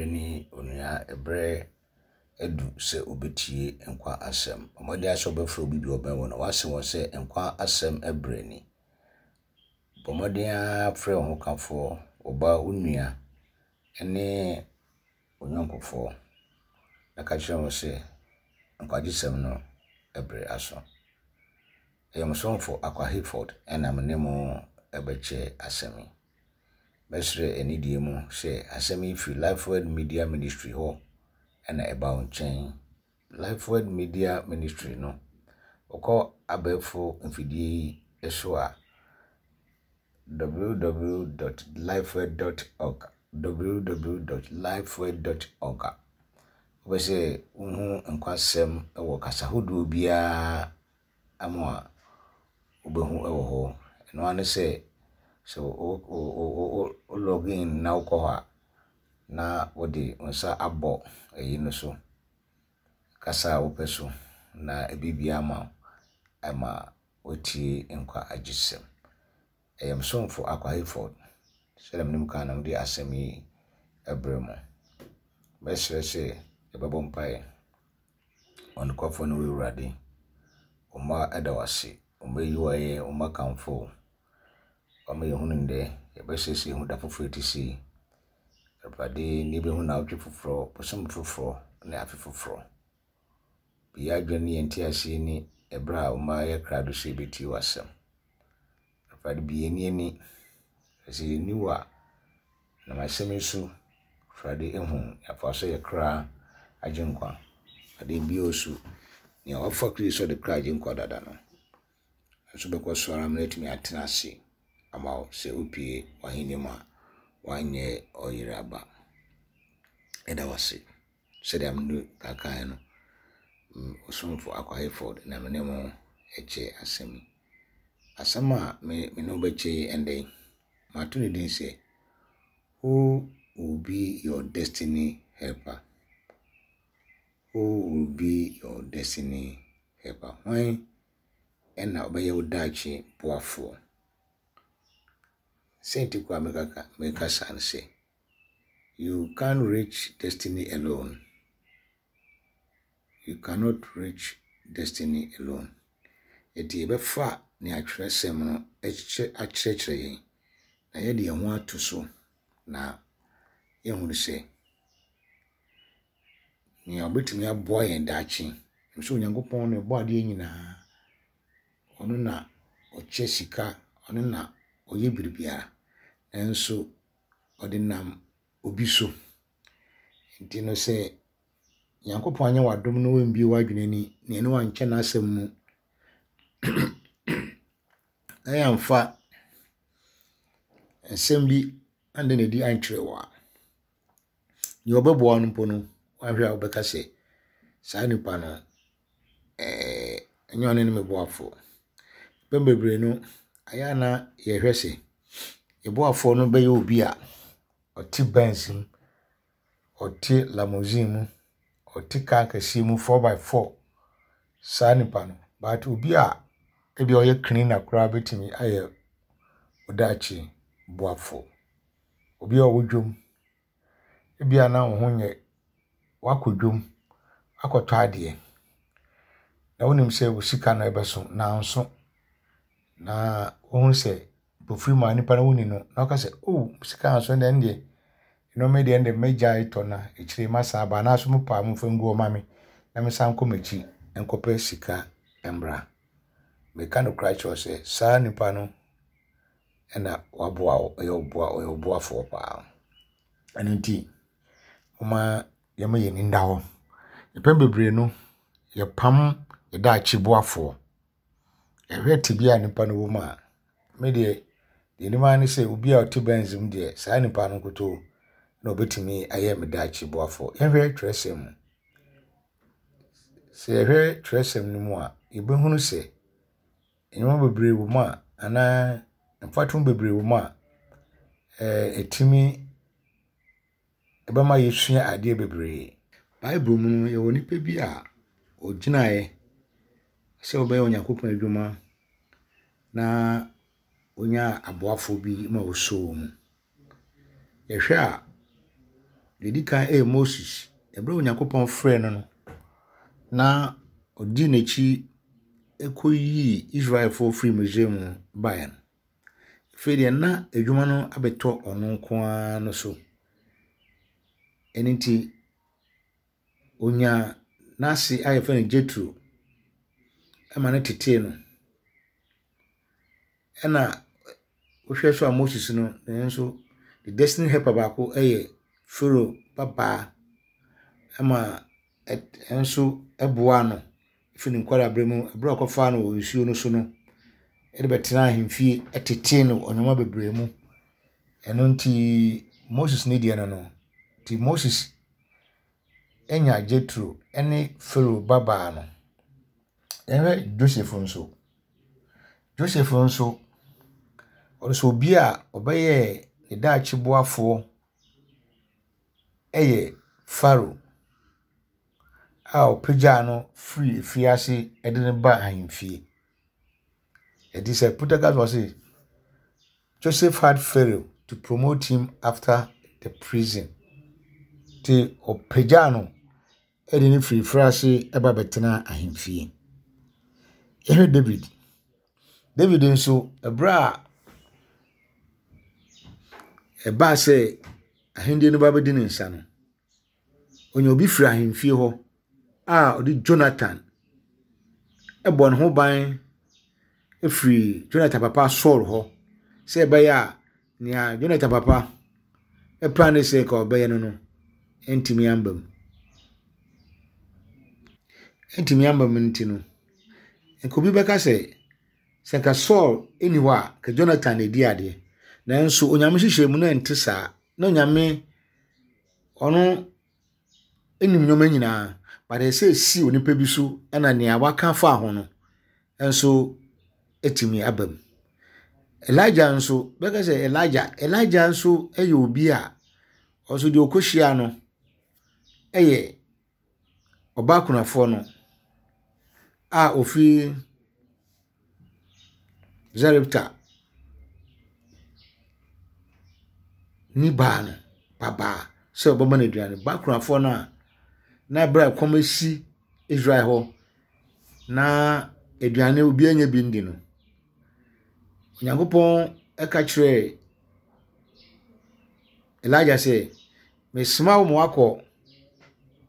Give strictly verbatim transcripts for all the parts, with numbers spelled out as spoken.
Ne onua, ɛberɛ adu sɛ wobɛtie nkwa asɛm. Bɔ mmɔden sɛ wobɛfrɛ obi bi a ɔbɛn wo na woase wɔn sɛ nkwa asɛm berɛ ni. Bɔ mmɔden ara frɛ wo hokafoɔ, wo ba, wo nua ne wo yɔnkofoɔ na ka kyerɛ wɔn sɛ nkwagyesɛm no berɛ aso. Ɛyɛ mo somfo Akwa Hayford ɛna me ne mo ɛbɛkyɛ asɛm yi. Mɛsrɛ anidie mu sɛ asɛm yi firi Lifeword Media Ministry hɔ ɛna ɛba wo nkyɛn. Lifeword Media Ministry no, wokɔ abɛɛfo mfidie yi so a, w w w dot lifeword dot org, w w w dot lifeword dot org a, wopɛ sɛ wohu nkwasɛm wɔ kasa ahodoɔ biara mu a, wobɛhu wɔ hɔ. Ɛno ara ne sɛ sɛ wo wo wo login na wokɔ hɔ a, na wode wo nsa abɔ ɛyi no so, kasa a wopɛ so, na ɛbɛbue ama wo ama woatie nkwa agyesɛm. Ɛyɛ me somfo Akwa Hayford, sɛdeɛ menim kan na mede asɛm yi ɛbrɛ mo. Mɛsrɛ sɛ yɛbɛbɔ mpaeɛ. Ɔnokwafoɔ ne wo Awurade, wo mma ɛda wo ase, wo mma yi wo ayɛ, wo mma kamfo wo. Wama yɛhunu ndɛ, yɛbɛsrɛ sɛ yɛhu da foforɔ ɛte sei. Awurade, ne yɛbɛhu naawɔtwe foforɔ, bosome foforɔ ne afe foforɔ. Bue yɛn adwene ne yɛn nteaseɛ ni ɛberɛ a wo mma yɛ krado sɛ yɛbɛtie w'asɛm. Awurade, bue yɛn ani, sɛ yɛnni wo a, nam asɛm yi so, Awurade, ehu yɛafa so yɛ kra agye nkwa. Awurade, bio so, nea wafa Kristo sɛ ɔde kra agye nkwa dada no, nso bɛkɔ so ara ma no atumi atena ase ama wo sɛ wopue w'ahenni mu a, woanyɛ ɔyere aba. Ɛda wo ase. Sɛdeɛ mede kakaeɛ no, ɔsomfo Akwa Hayford na me ne mo ɛkyɛ asɛm yi. Asɛm a me me ne wo bɛkyɛ yi ɛndɛ yi, mato ne din sɛ "Who will be your destiny helper?" Who will be your destiny helper? Hwan ɛna ɔbɛyɛ wo daakye boafoɔ? Sɛnti koraa meka meka saa no sɛ, you can't reach destiny alone. You cannot reach destiny alone. Enti yɛbɛfa nea atwerɛsɛm no akyerɛkyerɛ yɛn na yɛde yɛn ho ato so na yɛhunu sɛ nea ɔbɛtumi aboa yɛn daakye nso, Onyankopɔn na ɛbɔ adeɛ nyinaa. Ɔno na ɔkyɛ sika, ɔno na ɔyɛ biribiara, nanso ɔde nam obi so. Nti no, sɛ Nyankopɔn anyɛ w'adom na wambue w'adwene ani na ɛne wankyɛ n'asɛm mu na yɛamfa nsɛm bi anda n'adi ankyerɛ wo a, nea ɔbɛboa no mpo no, wahwɛ a wobɛka sɛ saa nipa no ɛɛ ɛnyɛ ɔno ne me boafoɔ. Mpɛn bebree no, ayɛ a na yɛhwɛ sɛ yɛn boafoɔ no bɛyɛ obi a ɔte Benz mu, ɔte limousine mu, ɔte car kɛseɛ mu, four by four, saa nipa no. But obi a ebi ɔyɛ cleaner koraa bɛtumi ayɛ wo daakye boafoɔ. Obi a ɔwɔ dwam, ebi a na wo ho nyɛ, wakɔ dwam akɔtɔ adeɛ na wonim sɛ wo sika no ɛbɛso nanso na wohu sɛ mpofiri mu a nipa no woni no na ɔka sɛ, "Oh, sika anso deɛ, ɛndeɛ nneɛma yi deɛ, ɛndeɛ mɛgyae tɔ na akyire masan aba, anaasɛ mopɛ a momfa ngu hɔ ma me na mesan nkɔ m'akyi nkɔpɛ sika mmra." Meka nokorɛ akyerɛ wo sɛ saa nipa no ɛna waboa wo, ɔyɛ wo boa, ɔyɛ wo boafoɔ paa. Ɛno nti, momma yɛmma yɛn ani nna hɔ. Mpɛn bebree no, yɛpam yɛ daakye boafoɔ. Yɛhwɛ tebea a nipa no wɔ mu a, me deɛ, deɛ anim ara ne sɛ obi a ɔte Benz mu deɛ, saa nipa no nkutoo na ɔbɛtumi ayɛ me daakye boafoɔ. Yɛhwɛ twerɛsɛm mu. Sɛ yɛhwɛ twerɛsɛm no mu a, yɛbɛhunu sɛ nneɛma bebree wɔ mu a, anaa mfatoho bebree wɔ mu a, ɛɛ ɛtumi ɛbɛma yɛsua adeɛ bebree. Bible mu no, yɛwɔ nipa bi a ɔgyinaeɛ sɛ ɔbɛyɛ Onyankopɔn adwuma na onyaa aboafoɔ bi ma wɔsoo mu. Yɛhwɛ a, Deɛ ɛdi kan yɛ Moses. Ɛberɛ a Onyankopɔn frɛɛ no no, na ɔdii n'akyi kɔyii Israelfoɔ firii Misraim baeɛ no, afei deɛ na adwuma no abɛtɔ ɔno nko ara no so. Ɛno nti, onyaa n'ase a yɛfrɛ no Jethro ma no tetee no. Ɛna wohwɛ so a Moses no, ne nso ne destiny helper baako yɛ Pharaoh babaa ma ɛnso boaa no firi ne nkwadaa mu berɛ a ɔkɔfaa no wɔ nsuo no so no, de bɛtenaa ahemfie tetee no wɔ nneɛma bebree mu. Ɛno nti Moses ne deɛ no no, nti Moses anya Jethro ne Pharaoh babaa no. Yɛhwɛ Joseph nso. Joseph nso, ɔno nso obi a ɔbɛyɛɛ ne daakye boafoɔ yɛ Pharaoh a ɔpagyaa no firii afiase de no baa ahemfie. Ɛti sɛ Pythagoras wɔ se, Joseph had Pharaoh to promote him after the prison. Nti ɔpagyaa no de no firi afiase ba bɛtenaa ahemfie. Yɛhwɛ David. David nso, ɛberɛ a ɛbaa sɛ ahennie no ba bɛdi ne nsa no, ɔnya obi firi ahemfie hɔ a ɔde Jonathan bɔ ne ho ban firi Jonathan papa Saul hɔ sɛ ɛbɛyɛ a nea Jonathan papa plan ne sɛ nka ɔbɛyɛ no no ntumi amba mu. Ntumi amba mu nti no, nka obi bɛka sɛ sɛ nka Saul nni hɔ a, nka Jonathan na edi adeɛ. Nanso Onyame hyehyɛ mu na ɛnte saa. Na Onyame ɔno nim nneɛma nyinaa. But ɛsɛ esi onipa bi so ɛna nea waka afa ho no nso etumi aba mu. Elijah nso bɛka sɛ Elijah Elijah nso yɛ obi a ɔnso deɛ ɔkɔhyia no yɛ ɔbaa kunafoɔ no a ofiri Zarepta ne baa no babaa sɛ ɔbɛma no aduane. Baa kunafoɔ no a na berɛ a ɛkɔm asi Israel hɔ na aduane obiara nya bi ndi no, Onyankopɔn ka kyerɛɛ Elijah sɛ, mesoma wo ma woakɔ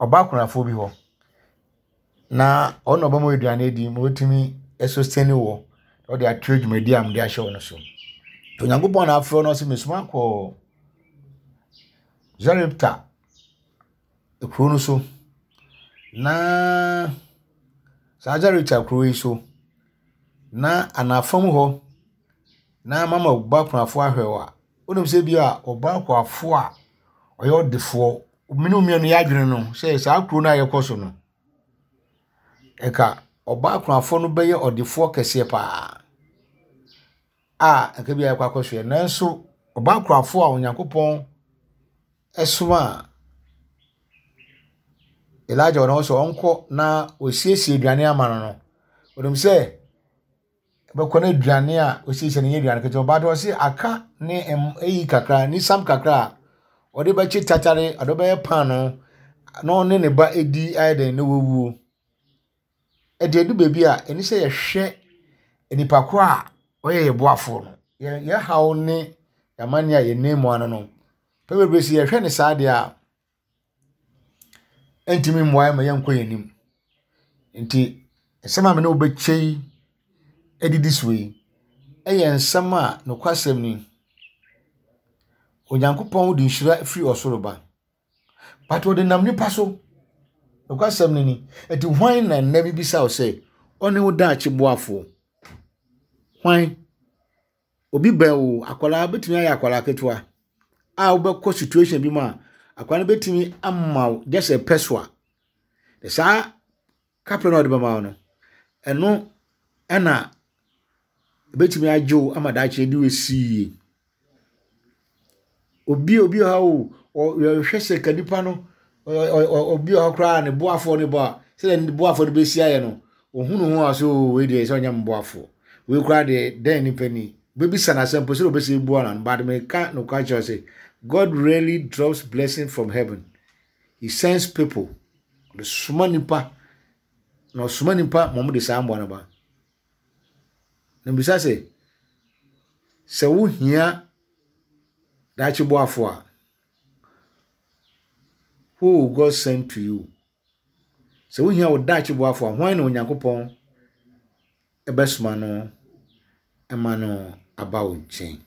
ɔbaa kunafoɔ bi hɔ na ɔno na ɔbɛma wo aduane adi ma watumi sustain wɔ na ɔde ato dwumadi a mede ahyɛ wo no so. Onyankopɔn na afrɛ no sɛ mesoma kɔ Zarepta kuro no so na saa Zarepta kuro yi so na anafam hɔ na mama ɔbaa kunafoɔ ahwɛ wo a, wonim sɛ bi a ɔbaa kunafoɔ a ɔyɛ ɔdefoɔ mene mmienu yɛ adwene no sɛ saa kuro no a yɛkɔ so no ɛka ɔbaa kunafoɔ no bɛyɛ ɔdefoɔ kɛseɛ paa a nka bi a yɛkɔ akɔsoɛ. Nanso ɔbaa kunafoɔ a Onyankopɔn ɛsoma Elijah wɔ ne hɔ sɛ ɔnkɔ na ɔsiesie aduane ama no no, onim sɛ bɛkɔ no aduane a osiesie no nyɛ aduane ketewa, but ɔse aka ne ɛyi kakra ne sam kakra a ɔde bɛkye tatare, ɔde bɛyɛ paano na ɔne ne ba edi ayɛ dɛn na wawuo. Ɛde edu baabi a ɛni sɛ yɛhwɛ nipa ko a ɔyɛ yɛ boafoɔ no. Yɛn yɛn haw ne amanneɛ a yɛnam mu ano no, pɛ bebree sɛ yɛhwɛ ne saa deɛ a, ɛntumi mmoa yɛn ma yɛnkɔ yɛn anim. Nti nsɛm a me ne wo bɛkyɛ yi adidi so yi ɛyɛ nsɛm a nokwasɛm ni. Onyankopɔn de nhyira firi ɔsoro ba. But ɔde nam nipa so. Nokwasɛm no ni. Nti hwan na nnɛ bibisa wo sɛ ɔne wo daakye boafoɔ? Hwan? Obi bɛn wo, akwadaa bɛtumi ayɛ akwadaa ketewa a wobɛkɔ situation bi mu a akwadaa no bɛtumi ama wo just a pɛso a saa kapre no a ɔde bɛma wo no, ɛno ɛna ɛbɛtumi agye wo ama daakye de wo asi yie. Obi obi wɔ ha o, ɔhwɛ sɛ ka nipa no, obi wɔ hɔ koraa ne boafoɔ ne bɔ a, sɛdeɛ ne boafoɔ no bɛsi ayɛ no, ohunu ho a sɛ o wei deɛ sɛ ɔnyɛ me boafoɔ. Wei koraa deɛ dɛn nipa ni. Bɛbisa no asɛm mpo sɛdeɛ ɔbɛsi bua no, but meka nokware kyerɛ sɛ God rarely drops blessing from heaven. He sends people. Ɔde soma nipa na ɔsoma nipa ma wɔde saa mmoa no ba. Na mbisa sɛ, sɛ wohia daakye boafo a, who will God send to you? Sɛ wohia wo daakye boafo a, hwan na Onyankopɔn ɛbɛsoma no ɛma no aba wo nkyɛn?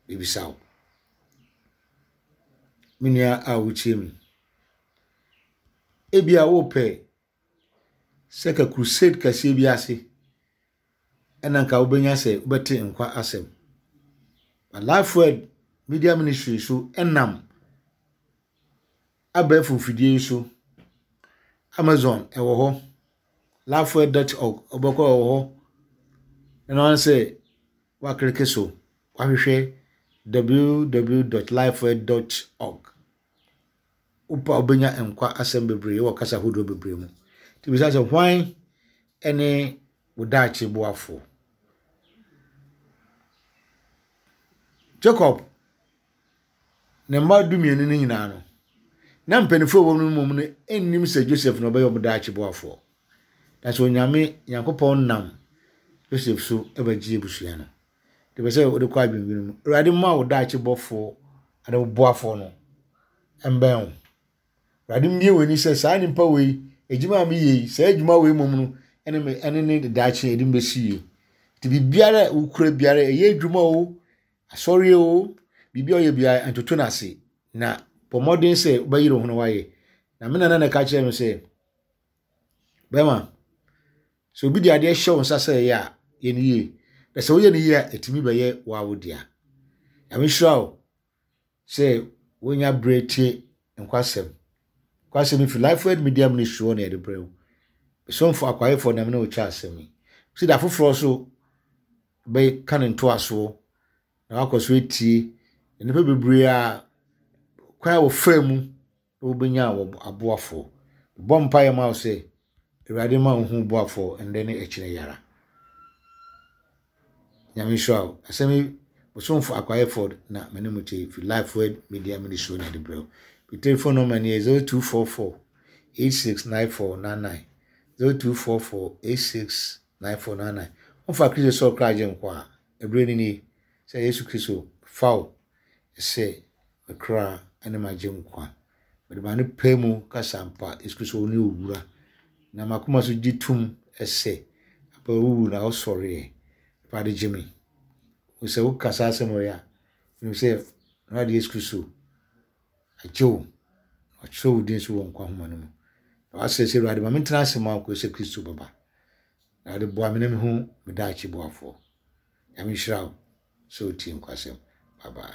Bibisa wo. Me nua a wotie me. Ebia wopɛ sɛ ka crusade kɛseɛ bi ase ɛna nka wobɛnya sɛ wobɛte nkwa asɛm. But Life Word Media Ministry so ɛnam abɛɛfo mfidie yi so. Amazon ɛwɔ hɔ. lifeword dot org ɔbɛkɔ ɛwɔ hɔ. Ɛno ara sɛ woaclick so wahwehwɛ w w w dot lifeword dot org. Wopɛ a wobɛnya nkwa asɛm bebree wɔ kasa ahodoɔ bebree mu. Nti bisa sɛ, hwan ne wo daakye boafoɔ? Jacob ne mma dumienu no nyinaa no, na mpanimfoɔ a wɔwɔ no mmom no nnim sɛ Joseph na ɔbɛyɛ wɔn daakye boafoɔ. Na sɛ Onyame Nyankopɔn nam Joseph so bɛgye abusua no. Nti pɛ sɛ wode kɔ adwendwene mu. Awurade mma wo daakye bɔfoɔ ane wo boafoɔ no mbɛn wo. Awurade mmie w'ani sɛ saa nipa wei, adwuma a meyɛ yi, saa adwuma wei mmom no, ɛne me ɛne ne daakye ɛde mbɛsi yie. Nti biribiara a wokura biara, ɛyɛ adwuma o, asɔre o, biribi a ɔyɛ biara, ntoto no ase. Na bɔ mmɔden sɛ wobɛyere wo ho na woayɛ. Na me nana na ɛka kyerɛ me sɛ, bɛrima, sɛ obi de adeɛ hyɛ wo nsa sɛ ɛyɛ a, yɛ no yie. Na sɛ woyɛ no yie a, ɛtumi bɛyɛ wo a wo dea. Nyame hyira wo sɛ wonya berɛ tie nkwasɛm. Nkwasɛm yi fi Life Word Media Ministry hɔ na yɛde brɛ wo. Mesomfo akwaefoɔ nam ne wo kyɛ asɛm yi. Si da foforɔ so bɛka ne ntoasoɔ na wakɔ so etie nnipa bebree a kwan a wɔfaa mu na wɔbɛnya wɔ aboafoɔ. Bɔ mpaeɛ ma wo sɛ Awurade ma wo hu boafoɔ ndɛ ne akyire yara. Nyame nhyira wo. Asɛm yi, Bosomfo Akwaefoɔ na me ne mo kyɛ fi Life Word Media Ministry na yɛde brɛ wo. Me telephone number ni yɛ zero two four four eight six nine four nine nine, zero two four four eight six nine four nine nine. Wɔmfa Kristo sɛ ɔkra agye nkwa a, ɛberɛ ni nie sɛ Yesu Kristo fa wo sɛ mekra ne magye nkwa. Mede m'ano pɛ mu kasa mpa Yesu Kristo wo ne owura. Na m'akoma so gye tom sɛ apa wowu na wosɔreɛ. Awurade gye me. Sɛ woka saa asɛm wɔ yi a, menim sɛ Awurade Yesu Kristo agye wo. Ɔkyerɛ wo din so wɔ nkwa nhoma no mu. Na wasrɛ sɛ Awurade ma mentena ase ma wo kɔsi sɛ Kristo bɛba. Awurade boa me na mehu me daakye boafoɔ. Nyame nhyira wo sɛ wotie nkwasɛm. Bye bye.